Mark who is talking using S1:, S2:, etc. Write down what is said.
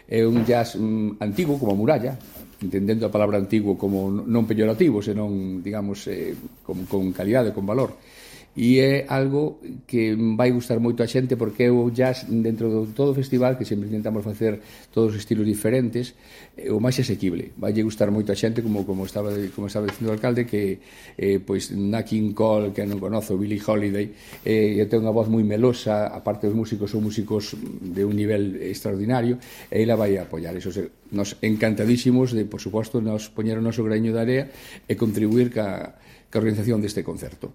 S1: É un jazz antigo, como a muralla, entendendo a palabra antigo como non peyorativo, senón, digamos, con calidade, con valor. E é algo que vai gustar moito a xente porque é o jazz dentro de todo o festival, que sempre intentamos facer todos os estilos diferentes, o máis asequible. Vai gustar moito a xente, como estaba dicindo o alcalde, que pois Nat King Cole, que non conozo, Billie Holiday, ten unha voz moi melosa, aparte os músicos son músicos de un nivel extraordinario, e ela vai a apoiar. Eso, nos encantadísimos de, por suposto, nos poñer o noso graño de area e contribuir ca organización deste concerto.